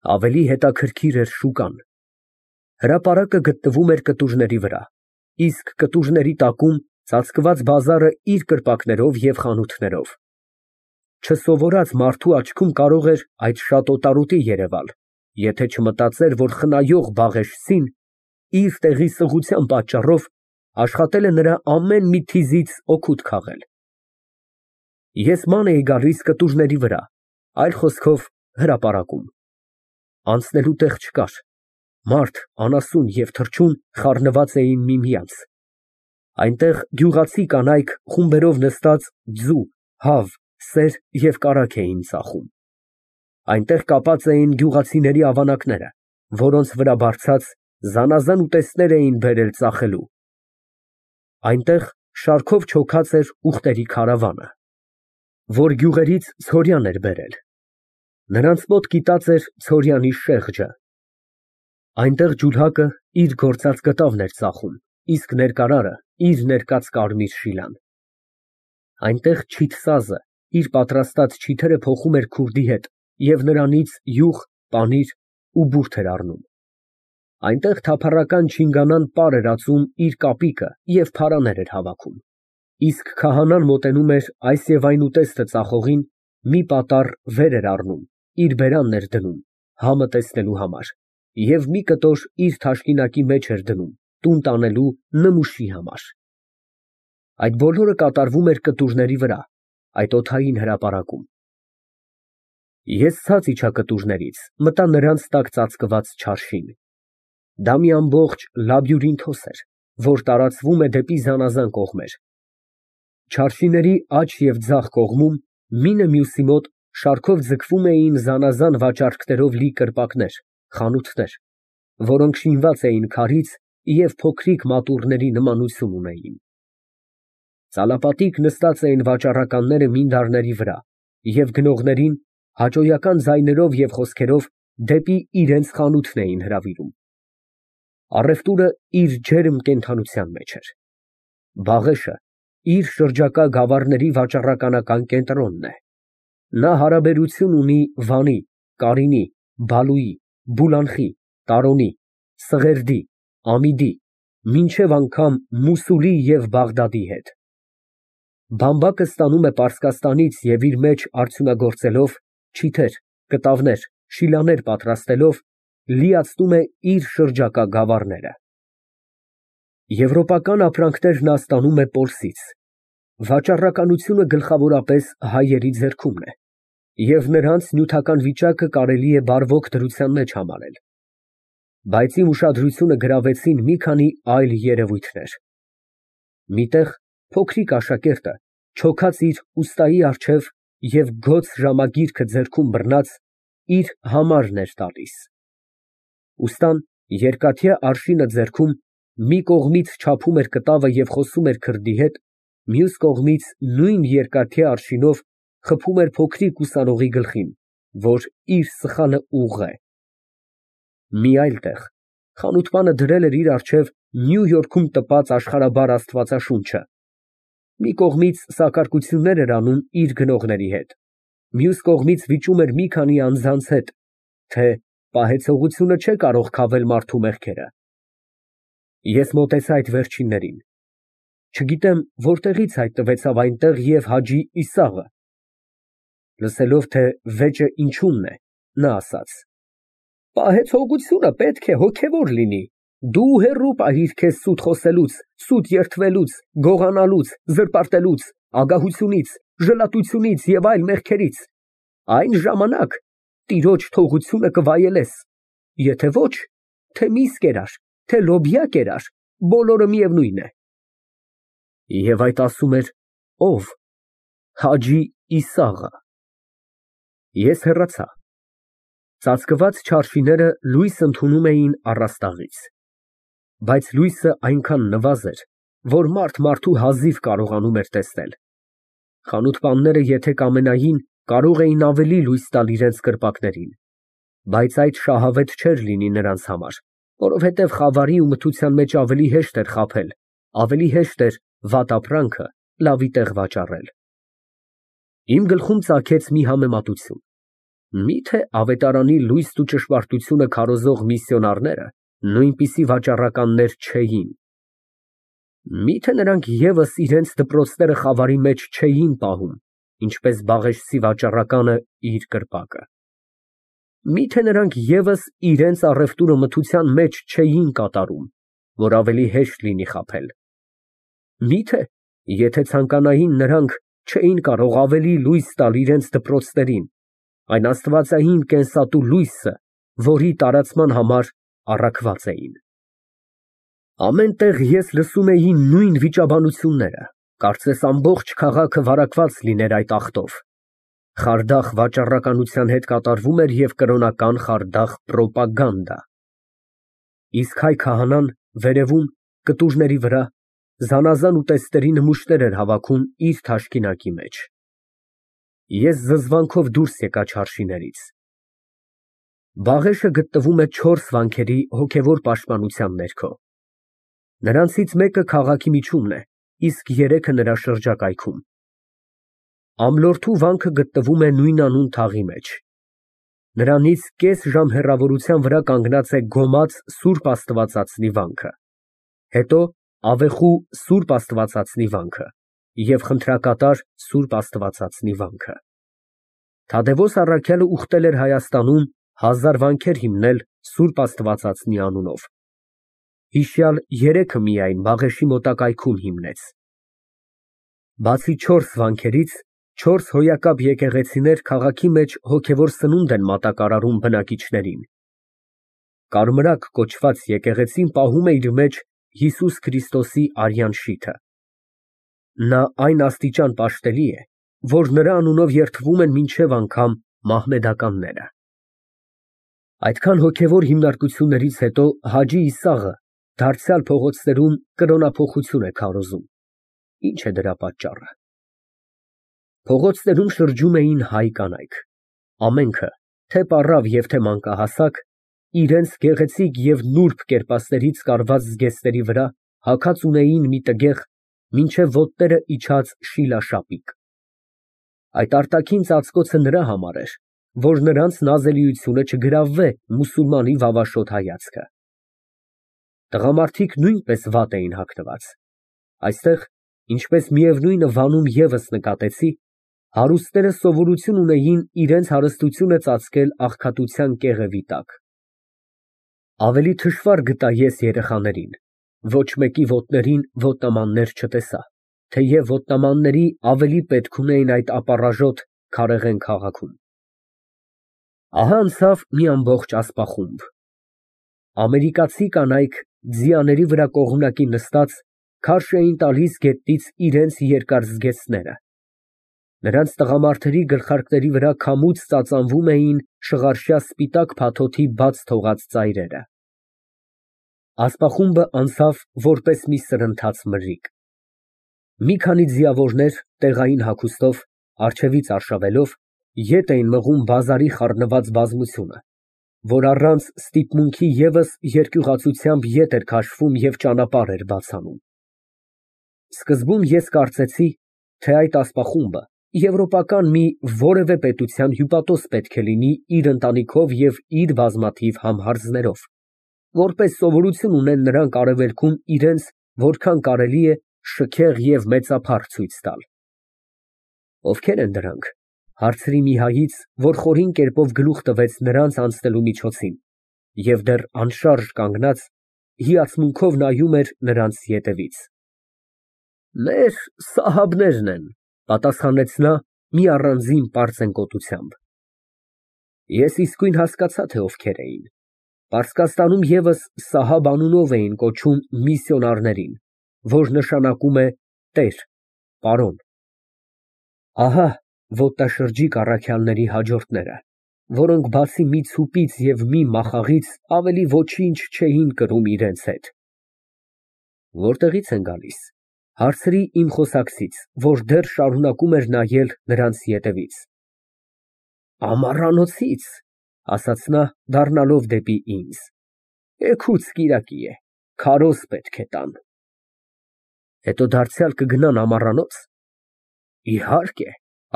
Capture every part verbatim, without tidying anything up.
Ավելի հետաքրքիր էր շուկան։ Հրապարակը գտնվում էր կտուրների վրա, իսկ կտուրների տակում ծածկված բազարը իր կրպակներով և խանութներով։ Չսովորած մարդու աչքում կարող էր այդ շատ օտարոտի երևալ, եթե չմտածեր, որ խնայող Բաղեշցին իր տեղի սղության պատճառով աշխատել է նրա ամեն մի թիզից օգուտ քաղել։ Ես ման էի գալիս կտուրների վրա, այլ խոսքով հրապարակում։ Անցնելու տեղ չկար, մարդ, անասուն և թռչուն խառնված էին միմյանց։ Այնտեղ գյուղացի կանայք խումբերով նստած ձու, հավ, սեր և կարագ էին ծախում։ Այնտեղ կապած էին գյուղացիների ավանակները, որոնց վրա բարձած զանազան ուտեստներ էին բերել ծախելու։ Այնտեղ շարքով չոքած էր ուղտերի քարավանը, որ գյուղերից ցորյան էր բերել։ Նրանց մոտ կիտած էր ցորյանի շեղջը։ Այնտեղ ջուլհակը իր գործած կտավն էր ծախում, իսկ ներկարարը իր ներկած կարմիր շիլան։ Այնտեղ չիթ իր պատրաստած չիթերը փոխում էր քուրդի հետ և նրանից յուղ, պանիր ու բուրդ էր առնում։ Այնտեղ թափառական չինգանան պար էր ածում իր կապիկը և փարաներ էր հավաքում, իսկ քահանան մոտենում էր այս և այն ուտեստը ծախողին, մի պատառ վեր էր առնում, իր բերանն էր դնում, համը տեսնելու համար, և մի կտոր իր թաշկինակի մեջ էր դնում, տուն տանելու նմուշի համար։ Այդ բոլորը կատարվում էր կտուրների վրա, այդ օդային հրապարակում։ Ես ցած իջա կտուրներից, մտա նրանց տակ ծածկված չարշին։ Դա մի ամբողջ լաբյուրինթոս էր, որ տարածվում է դեպի զանազան կողմեր։ Չարշիների աջ և ձախ կողմում, մինը մյուսի մոտ, շարքով ձգվում էին զանազան վաճառքներով լի կրպակներ, խանութներ, որոնք շինված էին քարից և փոքրիկ մատուռների նմանություն ունեին։ Ծալապատիկ նստած էին վաճառականները մինդարների վրա և գնողներին հաճոյական ձայներով և խոսքերով դեպի իրենց խանութն էին հրավիրում։ Առևտուրը իր ջերմ կենդանության մեջ էր։ Բաղեշը իր շրջակա գավառների վաճառականական կենտրոնն է։ Նա հարաբերություն ունի Վանի, Կարինի, Բալուի, Բուլանխի, Տարոնի, Սղերդի, Ամիդի, մինչև անգամ Մուսուլի և Բաղդադի հետ։ Բամբակը ստանում է Պարսկաստանից և իր մեջ արդյունագործելով, չիթեր, կտավներ, շիլաներ պատրաստելով, լիացնում է իր շրջակա գավառները։ Եվրոպական ապրանքներ նա ստանում է Պոլսից։ Վաճառականությունը գլխավորապես հայերի ձեռքումն է, և նրանց նյութական վիճակը կարելի է բարվոք դրության մեջ համարել։ Բայց իմ ուշադրությունը գրավեցին մի քանի այլ երևույթներ։ Մի տեղ փոքրիկ աշակերտը, չոքած իր ուստայի առջև և գոց ժամագիրքը ձեռքում բռնած, իր համարն էր տալիս։ Ուստան, երկաթյա արշինը ձեռքում, մի կողմից չափում էր կտավը և խոսում էր քրդի հետ, մյուս կողմից նույն երկաթյա արշինով խփում էր փոքրիկ ուսանողի գլխին, որ իր սխալը ուղղ է։ Մի այլ տեղ խանութպանը դրել էր իր առջև Նյու Յորքում տպած աշխարհաբար աստվածաշունչը, մի կողմից սակարկություններ էր անում իր գնողների հետ, մյուս կողմից վիճում էր մի քանի անձանց հետ, թե պահեցողությունը չէ կարող քավել մարդու մեղքերը։ Ես մոտեցա այդ վերջիններին։ Չգիտեմ որտեղից հայտնվեցավ այնտեղ և Հաջի Իսաղը։ Լսելով, թե վեճը ինչումն է, նա ասաց. «Պահեցողությունը պետք է հոգևոր լինի, դու հեռու պահիր քեզ սուտ խոսելուց, սուտ երդվելուց, գողանալուց, զրպարտելուց, ագահությունից, ժլատությունից և այլ մեղքերից, այն ժամանակ տիրոջ թողությունը կվայելես, եթե ոչ, թե միս կերար, թե լոբյա կերար, բոլորը միևնույն է»։ Եվ այդ ասում էր ո՞վ։ Հաջի Իսաղը։ Ես հեռացա։ Ծածկված չարշիները լույս ընդունում էին առաստաղից, բայց լույսը այնքան նվազ էր, որ մարդ մարդու հազիվ կարողանում էր տեսնել։ Խանութպանները եթե կամենային, կարող էին ավելի լույս տալ իրենց կրպակներին, բայց այդ շահավետ չէր լինի նրանց համար, որովհետև խավարի ու մթության մեջ ավելի հեշտ էր խաբել, ավելի հեշտ էր վատ ապրանքը լավի տեղ վաճառել։ Իմ գլխում ծագեց մի համեմատություն։ Միթե ավետարանի լույսն ու ճշմարտությունը քարոզող միսիոնարները նույնպիսի վաճառականներ չէին։ Միթե նրանք ևս իրենց դպրոցները խավարի մեջ չէին պահում, ինչպես բաղեշցի վաճառականը իր կրպակը։ Միթե նրանք ևս իրենց առևտուրը մթության մեջ չէին կատարում, որ ավելի հեշտ լինի խաբել։ Միթե, եթե ցանկանային, նրանք չէին կարող ավելի լույս տալ իրենց դպրոցներին, այն աստվածային կենսատու լույսը, որի տարածման համար առաքված էին։ Ամեն տեղ ես լսում էի նույն վիճաբանությունները, կարծես ամբողջ քաղաքը վարակված լիներ այդ աղտով։ Խարդախ վաճառականության հետ կատարվում էր և կրոնական խարդախ պրոպագանդա։ Իսկ հայ քահանան վերևում, կտուրների վրա, զանազան ուտեստների նմուշներ էր հավաքում իր թաշկինակի մեջ։ Ես զզվանքով դուրս եկա չարշիներից։ Բաղեշը գտնվում է չորս վանքերի հոգևոր պաշտպանության ներքո։ Նրանցից մեկը քաղաքի միջումն է, իսկ երեքը նրա շրջակայքում։ Ամլորթու վանքը գտնվում է նույնանուն թաղի մեջ։ Նրանից կես ժամ հեռավորության վրա կանգնած է գոմած Սուրբ Աստվածածնի վանքը, հետո Ավեխու Սուրբ Աստվածածնի վանքը և խնդրակատար Սուրբ Աստվածածնի վանքը։ Թադևոս առաքյալը ուխտել էր Հայաստանում հազար վանքեր հիմնել Սուրբ Աստվածածնի անունով, հիշյալ երեքը միայն Բաղեշի մոտակայքում հիմնեց։ Բացի չորս վանքերից, չորս հոյակապ եկեղեցիներ քաղաքի մեջ հոգևոր սնունդ են մատակարարում բնակիչներին։ Կարմրակ կոչված եկեղեցին պահում է իր մեջ Հիսուս Քրիստոսի արյան շիթը։ Նա այն աստիճան պաշտելի է, որ նրա անունով երդվում են մինչև անգամ մահմեդականները։ Այդքան հոգևոր հիմնարկություններից հետո Հաջի Իսաղը դարձյալ փողոցներում կրոնափոխություն է քարոզում։ Ինչ է դրա պատճառը։ Փողոցներում շրջում էին հայ կանայք։ Ամենքը, թե պառավ և թե մանկահասակ, իրենց գեղեցիկ և նուրբ կերպասներից կարված զգեստների վրա հագած ունեին մի տգեղ, մինչև ոտները իջած շիլաշապիկ։ Այդ արտաքին ծածկոցը նրա համար էր, որ նրանց նազելիությունը չգրավվե մուսուլմանի վավաշոտ հայացքը։ Տղամարդիկ նույնպես վատ էին հագնված։ Այստեղ, ինչպես միևնույնը Վանում ևս նկատեցի, հարուստները սովորություն ունեին իրենց հարստությունը ծածկել աղքատության կեղևի տակ։ Ավելի թշվառ գտա ես երեխաներին, ոչ մեկի ոտներին ոտնամաններ չտեսա, թեև ոտնամանների ավելի պետք ունեին այդ ապառաժոտ քարեղեն քաղաքում։ Ահա անցավ մի ամբողջ ասպախումբ։ Ամերիկացի կանայք ձիաների վրա կողմնակի նստած քարշ էին տալիս գետնից իրենց երկար զգեստները։ Նրանց տղամարդերի գլխարկների վրա քամուց ծածանվում էին շղարշյա սպիտակ փաթոթի բաց թողած ծայրերը։ Ասպախումբը անցավ որպես մի սրընթաց մրրիկ։ Մի քանի ձիավորներ տեղային հագուստով, առջևից արշավելով, ետ էին մղում բազարի խառնված բազմությունը, որ առանց ստիպմունքի ևս երկյուղացությամբ ետ էր քաշվում և ճանապարհ էր բաց անում։ Սկզբում ես կարծեցի, թե այդ ասպախումբը եվրոպական մի որևէ պետության հյուպատոս պետք է լինի իր ընտանիքով և իր բազմաթիվ համհարձներով, որպես սովորություն ունեն նրանք արևելքում իրենց որքան կարելի է շքեղ և մեծափառ ցույց տալ։ Ովքե՞ր են դրանք, հարցրի մի հայից, որ խորին կերպով գլուխ տվեց նրանց անցնելու միջոցին և դեռ անշարժ կանգնած, հիացմունքով նայում էր նրանց ետևից։ Մեր սահաբներն են, պատասխանեց նա մի առանձին պարծենկոտությամբ։ Ես իսկույն հասկացա, թե ովքեր էին։ Պարսկաստանում ևս Սահաբ անունով էին կոչում միսիոնարներին, որ նշանակում է տեր, պարոն։ Ահա ոտնաշրջիկ առաքյալների հաջորդները, որոնք բացի մի ցուպից և մի մախաղից ավելի ոչինչ չէին կրում իրենց հետ։ Որտեղի՞ց են գալիս, հարցրի իմ խոսակցից, որ դեռ շարունակում էր նայել նրանց ետևից։ Ամառանոցից, ասաց նա, դառնալով դեպի ինձ, էգուց կիրակի է, քարոզ պետք է տան։ Հետո դարձյալ կգնան ամառանո՞ց։ Իհարկե,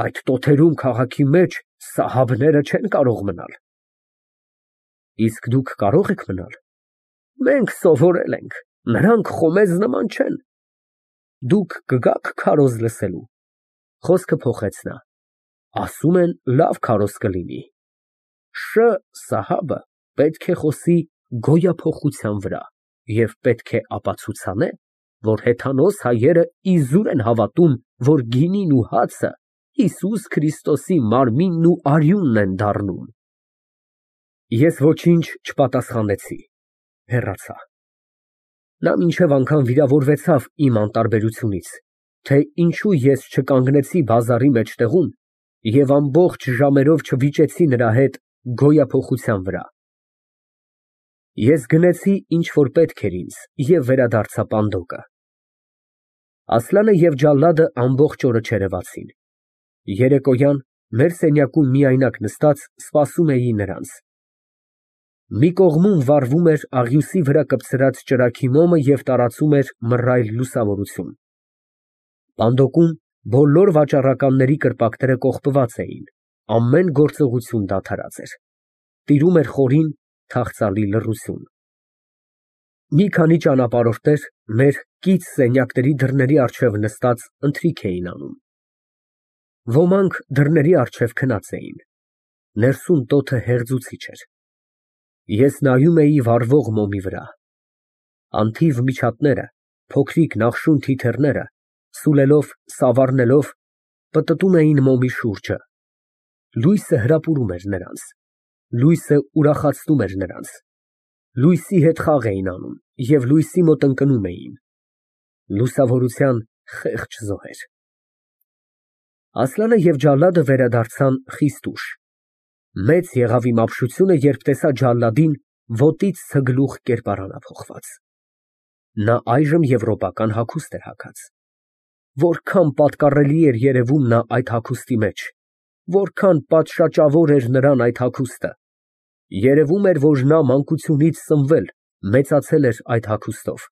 այդ տոթերում քաղաքի մեջ Սահաբները չեն կարող մնալ։ Իսկ դուք կարող եք մնալ։ Մենք սովորել ենք, նրանք խոմեզ նման չեն։ Դուք կգաք քարոզ լսելու։ Խոսքը փոխեց նա։ Ասում են, լավ քարոզ կլինի։ Շ Սահաբը պետք է խոսի գոյափոխության վրա և պետք է ապացուցանե, որ հեթանոս հայերը իզուր են հավատում, որ գինին ու հացը Հիսուս Քրիստոսի մարմինն ու արյունն են դառնում։ Ես ոչինչ չպատասխանեցի, հեռացա։ Նա մինչև անգամ վիրավորվեցավ իմ անտարբերությունից, թե ինչու ես չկանգնեցի բազարի մեջտեղում և ամբողջ ժամերով չվիճեցի նրա հետ գոյափոխության վրա։ Ես գնեցի, ինչ որ պետք էր ինձ, և վերադարձա պանդոկը։ Ասլանը և Ջալադը ամբողջ օրը չերևացին։ Երեկոյան մեր սենյակում միայնակ նստած սպասում էի նրանց։ Մի կողմում վառվում էր աղյուսի վրա կպցրած ճրագի մոմը և տարածում էր մռայլ լուսավորություն։ Պանդոկում բոլոր վաճառականների կրպակները կողպված էին, ամեն գործողություն դադարած էր։ Տիրում էր խորին, թախծալի լռություն։ Մի քանի ճանապարհորդներ մեր կից սենյակների դռների առջև նստած ընթրիք էին անում։ Ոմանք դռների առջև քնած էին։ Ներսում տոթը հեղձուցիչ էր։ Ես նայում էի վառվող մոմի վրա։ Անթիվ միջատները, փոքրիկ նախշուն թիթեռները, սուլելով, սավառնելով, պտտում էին մոմի շուրջը։ Լույսը հրապուրում էր նրանց, լույսը ուրախացնում էր նրանց, լույսի հետ խաղ էին անում և լույսի մոտ ընկնում էին։ Լուսավորության խեղճ զոհեր։ Ասլանը և Ջալադը վերադարձան խիստ ուշ։ Մեծ եղավ իմ ապշությունը, երբ տեսա Ջալադին ոտից ցգլուխ կերպարանափոխված։ Նա այժմ եվրոպական հագուստ էր հագած։ Որքան պատկառելի էր երևում նա այդ հագուստի մեջ, որքան պատշաճավոր էր նրան այդ հագուստը։ Երևում էր, որ նա մանկությունից սնվել, մեծացել էր այդ հագուստով։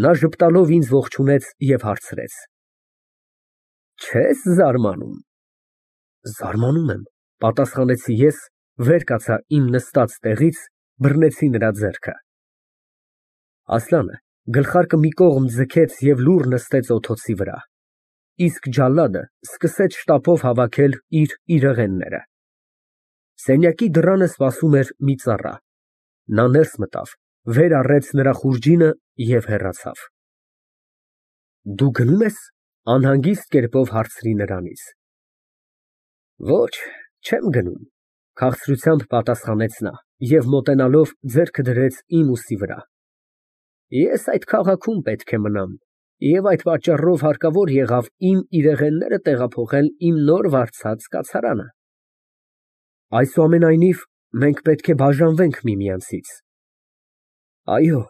Նա ժպտալով ինձ ողջունեց և հարցրեց. Չե՞ս զարմանում։ Զարմանում եմ, պատասխանեցի ես, վեր կացա իմ նստած տեղից, բռնեցի նրա ձեռքը։ Ասլանը գլխարկը մի կողմ ձգեց և լուռ նստեց օդոցի վրա, իսկ Ջալադը սկսեց շտապով հավաքել իր իրեղենները։ Սենյակի դռանը սպասում էր մի ծառա։ Նա ներս մտավ, վեր առեց նրա խուրջինը և հեռացավ։ Դու գնո՞ւմ ես, անհանգիստ կերպով հարցրի նրանից։ Ոչ, չեմ գնում, քաղցրությամբ պատասխանեց նա և մոտենալով ձեռքը դրեց իմ ուսի վրա։ Ես այդ քաղաքում պետք է մնամ և այդ պատճառով հարկավոր եղավ իմ իրեղենները տեղափոխել իմ նոր վարձած կացարանը։ Այսուամենայնիվ, մենք պետք է բաժանվենք միմյանցից։ Այո,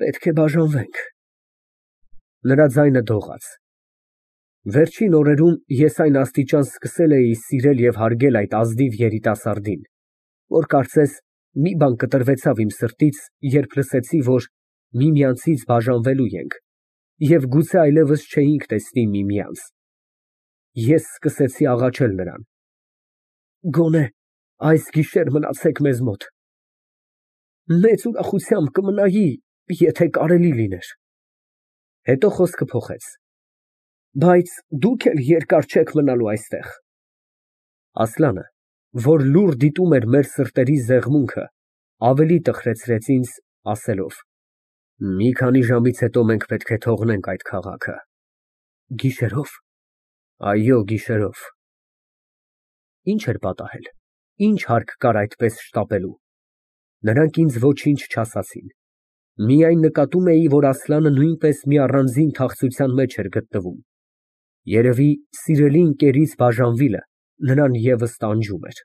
պետք է բաժանվենք։ Նրա ձայնը դողաց։ Վերջին օրերում ես այն աստիճան սկսել էի սիրել և հարգել այդ ազնիվ երիտասարդին, որ կարծես մի բան կտրվեցավ իմ սրտից, երբ լսեցի, որ միմյանցից բաժանվելու ենք և գուցե այլևս չէինք տեսնի միմյանց։ Ես սկսեցի աղաչել նրան. Գոնե այս գիշեր մնացեք մեզ մոտ։ Մեծ ուրախությամբ կմնայի, եթե կարելի լիներ։ Հետո խոսքը փոխեց. Բայց դուք էլ երկար չեք մնալու այստեղ։ Ասլանը, որ լուռ դիտում էր մեր սրտերի զեղմունքը, ավելի տխրեցրեց ինձ, ասելով. Մի քանի ժամից հետո մենք պետք է թողնենք այդ քաղաքը։ Գիշերո՞վ։ Այո, գիշերով։ Ինչ էր պատահել, ինչ հարկ կար այդպես շտապելու։ Նրանք ինձ ոչինչ չասացին։ Միայն նկատում էի, որ Ասլանը նույնպես մի առանձին թախծության մեջ էր գտնվում։ Երևի սիրելի ընկերից բաժանվելը նրան ևս տանջում էր։